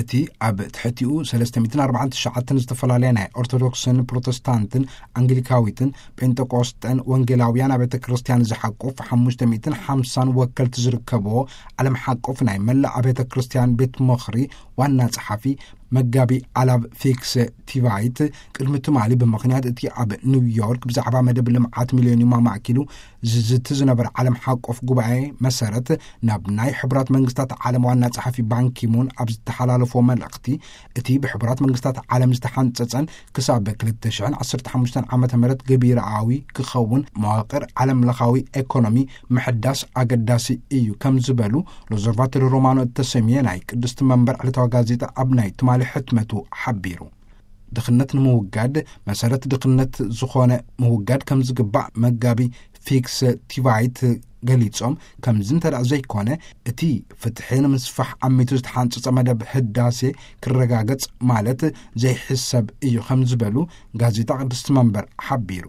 እቲ ኣብ ትሕቲኡ ሰለስተ ሚእትን ኣርባዓን ትሽዓተን ዝተፈላለያ ናይ ኦርቶዶክስን ፕሮቴስታንትን ኣንግሊካዊትን ጴንጠቆስጠን ወንጌላውያን ኣብያተ ክርስቲያን ዝሓቁፍ ሓሙሽተ ሚእትን ሓምሳን ወከልቲ ዝርከብዎ ዓለም ሓቆፍ ናይ መላእ ኣብያተ ክርስቲያን ቤት ምኽሪ ዋና ጸሓፊ መጋቢ ኣላብ ፊክስ ቲቫይት ቅድሚ ትማሊ ብምኽንያት እቲ ኣብ ኒውዮርክ ብዛዕባ መደብ ልምዓት ሚሊዮኒየም ኣማእኪሉ ዝዝቲ ዝነበረ ዓለም ሓቆፍ ጉባኤ መሰረት ናብ ናይ ሕቡራት መንግስታት ዓለም ዋና ጸሓፊ ባንኪሙን ኣብ ዝተሓላለፎ መልእኽቲ እቲ ብሕቡራት መንግስታት ዓለም ዝተሓንጸጸን ክሳብ ክልተ ሽሕን ዓሰርተ ሓሙሽተን ዓመተ ምህረት ገቢራዊ ክኸውን መዋቕር ዓለም ለኻዊ ኤኮኖሚ ምሕዳስ ኣገዳሲ እዩ ከም ዝበሉ ሎዘርቫቶሪ ሮማኖ እተሰምየ ናይ ቅድስቲ መንበር ዕለታዊ ጋዜጣ ኣብ ናይ ትማሊ ሕትመቱ ሓቢሩ። ድኽነት ንምውጋድ መሰረት ድኽነት ዝኾነ ምውጋድ ከም ዝግባእ መጋቢ ፊክስ ቲቫይት ገሊጾም፣ ከምዚ እንተ ደኣ ዘይኮነ እቲ ፍትሒ ንምስፋሕ ኣሚቱ ዝተሓንጸጸ መደብ ህዳሴ ክረጋገጽ ማለት ዘይሕሰብ እዩ ከም ዝበሉ ጋዜጣ ቅድስቲ መንበር ሓቢሩ።